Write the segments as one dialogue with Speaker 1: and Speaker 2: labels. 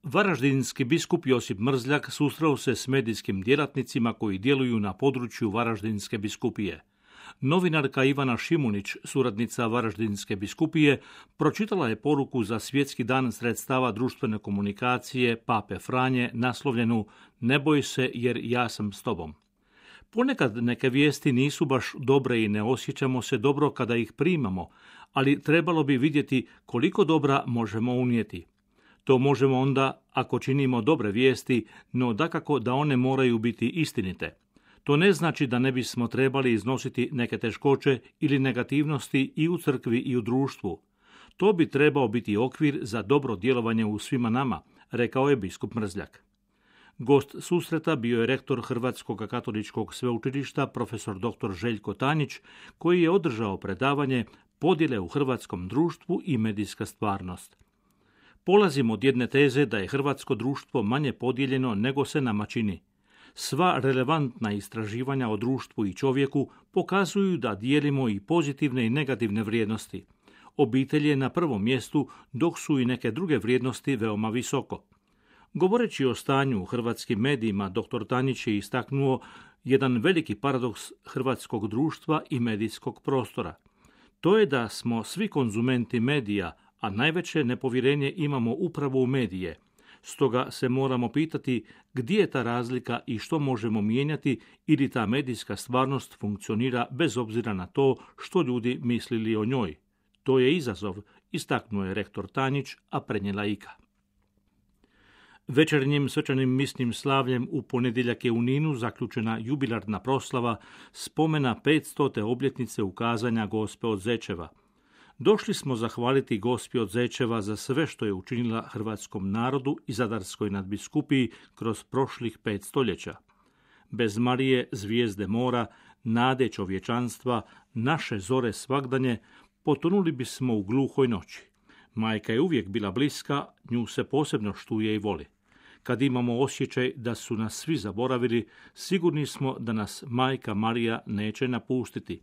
Speaker 1: Varaždinski biskup Josip Mrzljak susreo se s medijskim djelatnicima koji djeluju na području Varaždinske biskupije. Novinarka Ivana Šimunić, suradnica Varaždinske biskupije, pročitala je poruku za Svjetski dan sredstava društvene komunikacije Pape Franje naslovljenu "Ne boj se jer ja sam s tobom". Ponekad neke vijesti nisu baš dobre i ne osjećamo se dobro kada ih primamo, ali trebalo bi vidjeti koliko dobra možemo unijeti. To možemo onda ako činimo dobre vijesti, no dakako da one moraju biti istinite. To ne znači da ne bismo trebali iznositi neke teškoće ili negativnosti i u crkvi i u društvu. To bi trebao biti okvir za dobro djelovanje u svima nama, rekao je biskup Mrzljak. Gost susreta bio je rektor Hrvatskog katoličkog sveučilišta profesor dr. Željko Tanjić, koji je održao predavanje Podjele u hrvatskom društvu i medijska stvarnost. Polazimo od jedne teze da je hrvatsko društvo manje podijeljeno nego se nama čini. Sva relevantna istraživanja o društvu i čovjeku pokazuju da dijelimo i pozitivne i negativne vrijednosti. Obitelj je na prvom mjestu, dok su i neke druge vrijednosti veoma visoko. Govoreći o stanju u hrvatskim medijima, dr. Tanjić je istaknuo jedan veliki paradoks hrvatskog društva i medijskog prostora. To je da smo svi konzumenti medija, a najveće nepovjerenje imamo upravo u medije. Stoga se moramo pitati gdje je ta razlika i što možemo mijenjati ili ta medijska stvarnost funkcionira bez obzira na to što ljudi mislili o njoj. To je izazov, istaknuo je rektor Tanjić, a prenijela Ika. Večernjim svečanim misnim slavljem u ponedjeljak je u Ninu zaključena jubilarna proslava spomena 500. obljetnice ukazanja Gospe od Zečeva. Došli smo zahvaliti Gospi od Zečeva za sve što je učinila hrvatskom narodu i Zadarskoj nadbiskupiji kroz prošlih 5 stoljeća. Bez Marije, zvijezde mora, nade čovječanstva, naše zore svagdanje, potonuli bismo u gluhoj noći. Majka je uvijek bila bliska, nju se posebno štuje i voli. Kad imamo osjećaj da su nas svi zaboravili, sigurni smo da nas Majka Marija neće napustiti.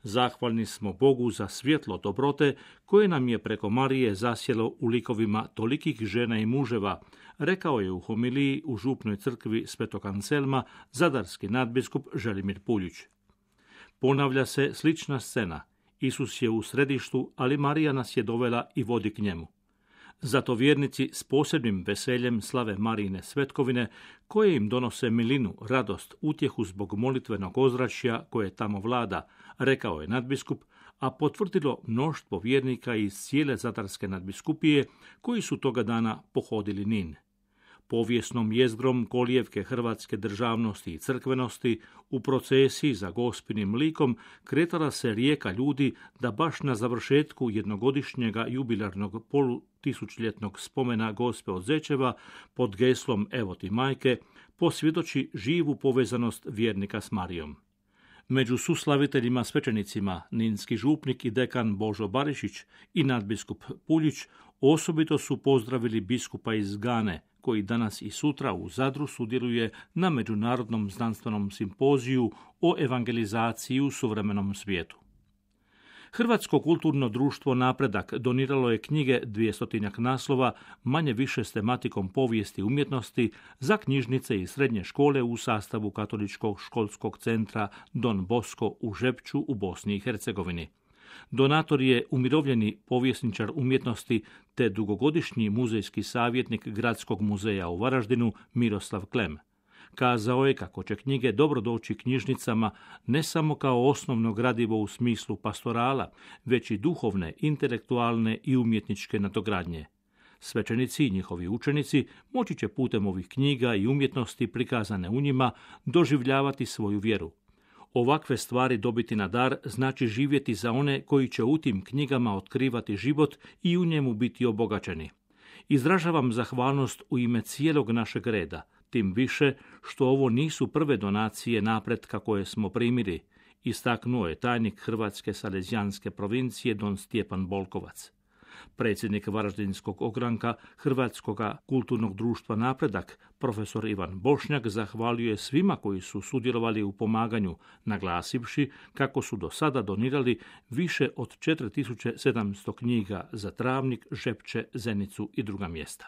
Speaker 1: Zahvalni smo Bogu za svjetlo dobrote koje nam je preko Marije zasjelo u likovima tolikih žena i muževa, rekao je u homiliji u župnoj crkvi Svetog Anselma zadarski nadbiskup Želimir Puljić. Ponavlja se slična scena. Isus je u središtu, ali Marija nas je dovela i vodi k njemu. Zato vjernici s posebnim veseljem slave Marijine svetkovine, koje im donose milinu, radost, utjehu zbog molitvenog ozračja koje tamo vlada, rekao je nadbiskup, a potvrdilo mnoštvo vjernika iz cijele Zadarske nadbiskupije koji su toga dana pohodili Nin. Povijesnom jezgrom kolijevke hrvatske državnosti i crkvenosti u procesiji za Gospinim likom kretala se rijeka ljudi da baš na završetku jednogodišnjega jubilarnog polutisućljetnog spomena Gospe od Zečeva pod geslom Evo ti majke posvjedoči živu povezanost vjernika s Marijom. Među suslaviteljima svećenicima ninski župnik i dekan Božo Barišić i nadbiskup Puljić osobito su pozdravili biskupa iz Gane, koji danas i sutra u Zadru sudjeluje na Međunarodnom znanstvenom simpoziju o evangelizaciji u suvremenom svijetu. Hrvatsko kulturno društvo Napredak doniralo je knjige 200 naslova, manje više s tematikom povijesti umjetnosti, za knjižnice i srednje škole u sastavu Katoličkog školskog centra Don Bosco u Žepču u Bosni i Hercegovini. Donator je umirovljeni povjesničar umjetnosti te dugogodišnji muzejski savjetnik Gradskog muzeja u Varaždinu Miroslav Klem. Kazao je kako će knjige dobro doći knjižnicama ne samo kao osnovno gradivo u smislu pastorala, već i duhovne, intelektualne i umjetničke nadogradnje. Svećenici i njihovi učenici moći će putem ovih knjiga i umjetnosti prikazane u njima doživljavati svoju vjeru. Ovakve stvari dobiti na dar znači živjeti za one koji će u tim knjigama otkrivati život i u njemu biti obogaćeni. Izražavam zahvalnost u ime cijelog našeg reda, tim više što ovo nisu prve donacije napretka koje smo primili, istaknuo je tajnik Hrvatske salezijanske provincije don Stjepan Bolkovac. Predsjednik Varaždinskog ogranka Hrvatskog kulturnog društva Napredak, profesor Ivan Bošnjak, zahvalio je svima koji su sudjelovali u pomaganju, naglasivši kako su do sada donirali više od 4700 knjiga za Travnik, Žepče, Zenicu i druga mjesta.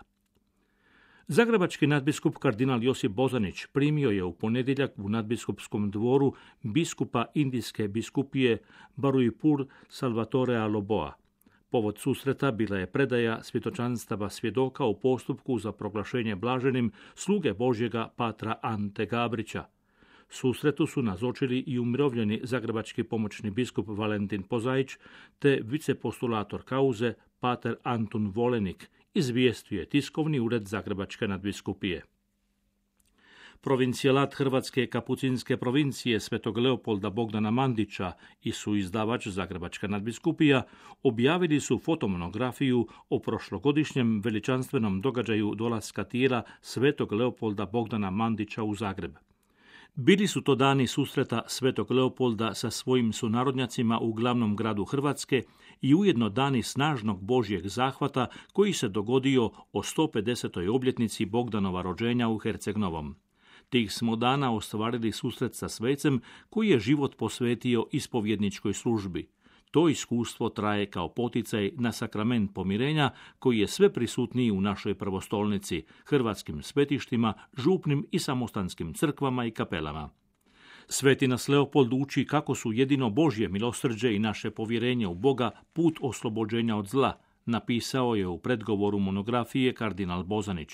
Speaker 1: Zagrebački nadbiskup kardinal Josip Bozanić primio je u ponedjeljak u nadbiskupskom dvoru biskupa Indijske biskupije Baruipur Salvatorea Loboa. Povod susreta bila je predaja svjedočanstava svjedoka u postupku za proglašenje blaženim sluge Božjega patra Ante Gabrića. Susretu su nazočili i umirovljeni zagrebački pomoćni biskup Valentin Pozaić te vicepostulator kauze pater Antun Volenik, izvijestio je tiskovni ured Zagrebačke nadbiskupije. Provincijalat Hrvatske kapucinske provincije Svetog Leopolda Bogdana Mandića i suizdavač Zagrebačka nadbiskupija objavili su fotomonografiju o prošlogodišnjem veličanstvenom događaju dolaska tijela Svetog Leopolda Bogdana Mandića u Zagreb. Bili su to dani susreta Svetog Leopolda sa svojim sunarodnjacima u glavnom gradu Hrvatske i ujedno dani snažnog Božjeg zahvata koji se dogodio o 150. obljetnici Bogdanova rođenja u Herceg Novom. Tih smo dana ostvarili susret sa svecem koji je život posvetio ispovjedničkoj službi. To iskustvo traje kao poticaj na sakrament pomirenja koji je sve prisutniji u našoj prvostolnici, hrvatskim svetištima, župnim i samostanskim crkvama i kapelama. Sveti nas Leopold uči kako su jedino Božje milosrđe i naše povjerenje u Boga put oslobođenja od zla, napisao je u predgovoru monografije kardinal Bozanić.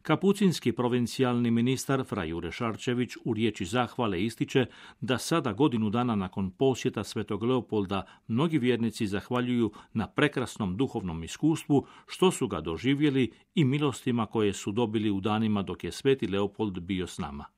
Speaker 1: Kapucinski provincijalni ministar fra Jure Šarčević u riječi zahvale ističe da sada godinu dana nakon posjeta Svetog Leopolda mnogi vjernici zahvaljuju na prekrasnom duhovnom iskustvu što su ga doživjeli i milostima koje su dobili u danima dok je Sveti Leopold bio s nama.